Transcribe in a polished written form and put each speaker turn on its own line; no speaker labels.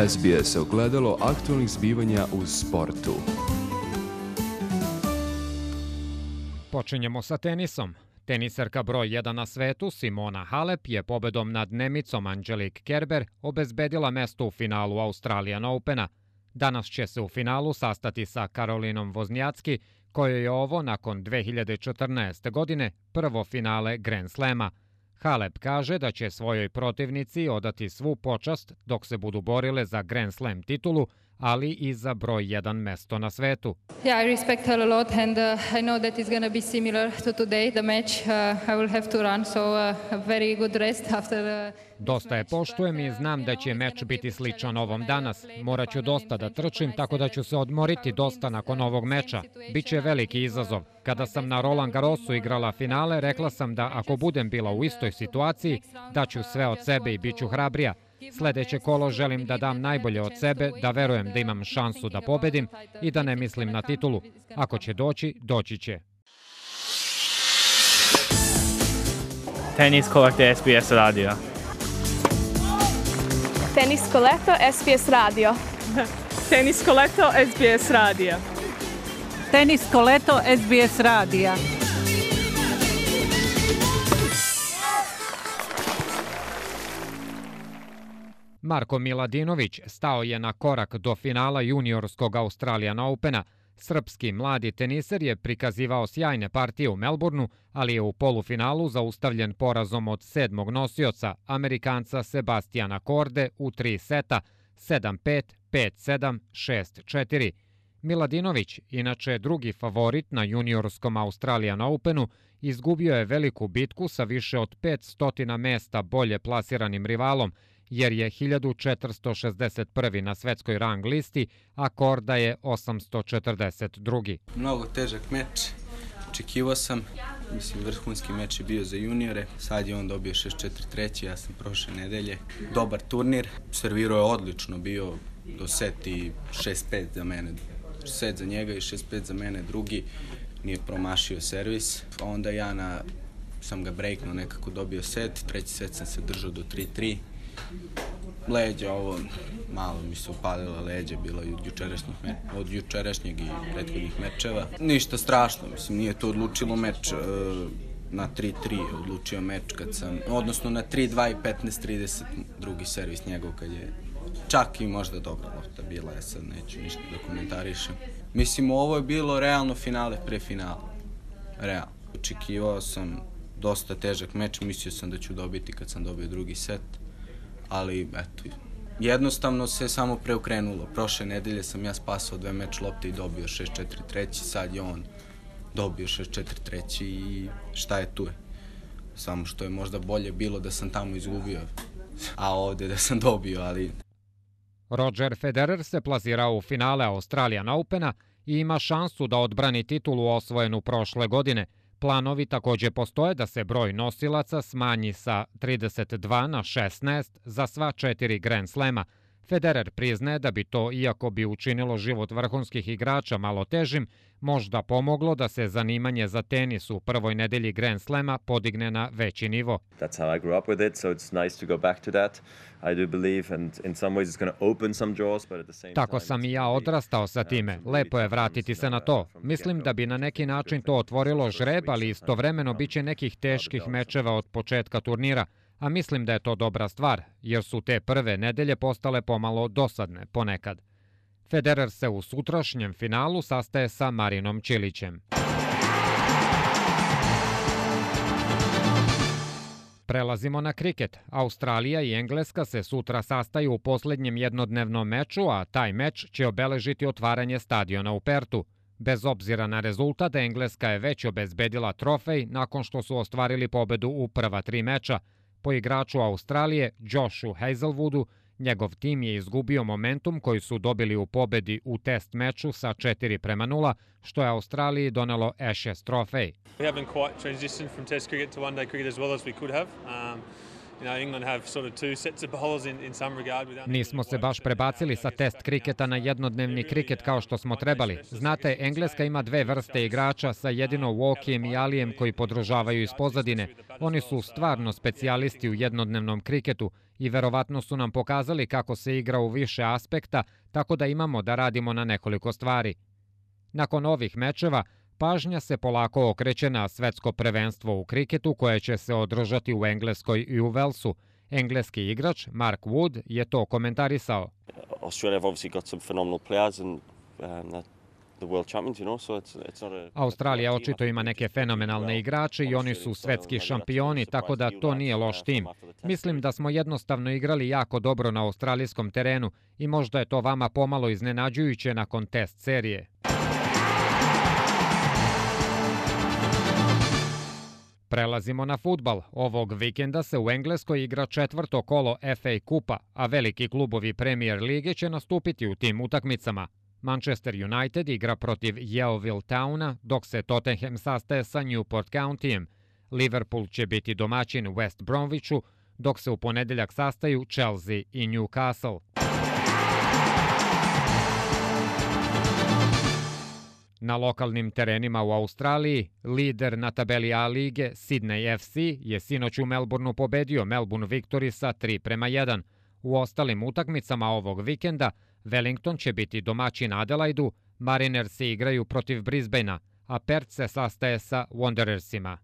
SBS ogledalo aktualnih zbivanja u sportu.
Počinjemo sa tenisom. Teniserka broj 1 na svetu Simona Halep je pobedom nad Nemicom Angelique Kerber obezbedila mesto u finalu Australian Opena. Danas će se u finalu sastati sa Karolinom Wozniacki, kojoj je ovo nakon 2014. godine prvo finale Grand Slema. Halep kaže da će svojoj protivnici odati svu počast dok se budu borile za Grand Slam titulu, ali i za broj 1 mesto na svetu.
Yeah, I respect her a lot and I know that it's going to be similar to today, the match. I will have to run, so a very good rest after
Dosta je poštujem i znam da će meč biti sličan ovom danas. Morat ću dosta da trčim, tako da ću se odmoriti dosta nakon ovog meča. Biće veliki izazov. Kada sam na Roland Garrosu igrala finale, rekla sam da ako budem bila u istoj situaciji, daću sve od sebe i bit ću hrabrija. Sledeće kolo želim da dam najbolje od sebe, da verujem da imam šansu da pobedim i da ne mislim na titulu. Ako će doći, doći će.
Tenisko leto SBS radio.
Tenisko leto SBS radio.
Tenisko leto SBS radio.
Tenisko leto SBS radija.
Marko Miladinović stao je na korak do finala juniorskog Australian Opena. Srpski mladi teniser je prikazivao sjajne partije u Melbourneu, ali je u polufinalu zaustavljen porazom od 7. nosioca, Amerikanca Sebastiana Korde u 3 seta, 7-5, 5-7, 6-4. Miladinović, inače drugi favorit na juniorskom Australian Openu, izgubio je veliku bitku sa više od 500 mesta bolje plasiranim rivalom, jer je 1461. na svetskoj rang listi, a Korda je 842.
Mnogo težak meč. Očekivao sam, vrhunski meč je bio za juniore. Sad je on dobio 6-4-3, ja sam prošle nedelje. Dobar turnir, servirao je odlično, bio do set i 6-5 za mene. Set za njega i 6-5 za mene drugi. Nije promašio servis. Onda ja sam ga breaknuo, nekako dobio set. Treći set sam se držao do 3-3. Leđa, ovo malo mi se upalila leđa, bilo je od jučerašnjeg i prethodnih mečeva. Ništa strašno, nije to odlučilo meč. Na 3-3 je odlučio meč odnosno na 3-2 i 15-30 drugi servis njegov kad je čak i možda dobra lopta bila, ja sad neću ništa da komentarišem. Ovo je bilo realno finale pre finala. Realno. Očekivao sam dosta težak meč, mislio sam da ću dobiti kad sam dobio drugi set. Ali, eto, jednostavno se samo preokrenulo. Prošle nedelje sam ja spasao 2 meč lopte i dobio 6-4-3, sad je on dobio 6-4-3 i šta je tu je. Samo što je možda bolje bilo da sam tamo izgubio, a ovde da sam dobio, ali...
Roger Federer se plazirao u finale Australian Opena i ima šansu da odbrani titulu osvojenu prošle godine. Planovi takođe postoje da se broj nosilaca smanji sa 32 na 16 za sva 4 Grand Slema. Federer priznaje da bi to, iako bi učinilo život vrhunskih igrača malo težim, možda pomoglo da se zanimanje za tenis u prvoj nedelji Grand Slema podigne na veći nivo.
That's how I grew up with it, so it's nice to go back to that. I do believe and in some ways it's going to open some doors, but at the same time...
Tako sam i ja odrastao sa time. Lepo je vratiti se na to. Mislim da bi na neki način to otvorilo žreb, ali istovremeno biće nekih teških mečeva od početka turnira. A mislim da je to dobra stvar, jer su te prve nedelje postale pomalo dosadne ponekad. Federer se u sutrašnjem finalu sastaje sa Marinom Čilićem. Prelazimo na kriket. Australija i Engleska se sutra sastaju u poslednjem jednodnevnom meču, a taj meč će obeležiti otvaranje stadiona u Pertu. Bez obzira na rezultat, Engleska je već obezbedila trofej nakon što su ostvarili pobedu u prva 3 meča. Po igraču Australije, Joshu Hazelwoodu, njegov tim je izgubio momentum koji su dobili u pobedi u test meču sa 4-0, što je Australiji donelo Ashes trofej.
We haven't quite transitioned from test cricket to one-day cricket as well as we could have. England have sort of two sets of bowlers in some regard.
Nismo se baš prebacili sa test kriketa na jednodnevni kriket kao što smo trebali. Znate, Engleska ima 2 vrste igrača sa jedino Walkijem i Alijem koji podržavaju iz pozadine. Oni su stvarno specijalisti u jednodnevnom kriketu i verovatno su nam pokazali kako se igra u više aspekta, tako da imamo da radimo na nekoliko stvari. Nakon ovih mečeva, pažnja se polako okreće na svetsko prvenstvo u kriketu koje će se održati u Engleskoj i u Velsu. Engleski igrač Mark Wood je to komentarisao. Australija očito ima neke fenomenalne igrače i oni su svetski šampioni, tako da to nije loš tim. Mislim da smo jednostavno igrali jako dobro na australijskom terenu i možda je to vama pomalo iznenađujuće nakon test serije. Prelazimo na fudbal. Ovog vikenda se u Engleskoj igra četvrto kolo FA kupa, a veliki klubovi Premier lige će nastupiti u tim utakmicama. Manchester United igra protiv Yeovil Towna, dok se Tottenham sastaje sa Newport Countyjem. Liverpool će biti domaćin West Bromwichu, dok se u ponedeljak sastaju Chelsea i Newcastle. Na lokalnim terenima u Australiji, lider na tabeli A lige Sydney FC je sinoć u Melbourneu pobedio Melbourne Victory sa 3:1. U ostalim utakmicama ovog vikenda Wellington će biti domaćin Adelaidu, Marinersi igraju protiv Brisbanea, a Perth se sastaje sa Wanderersima.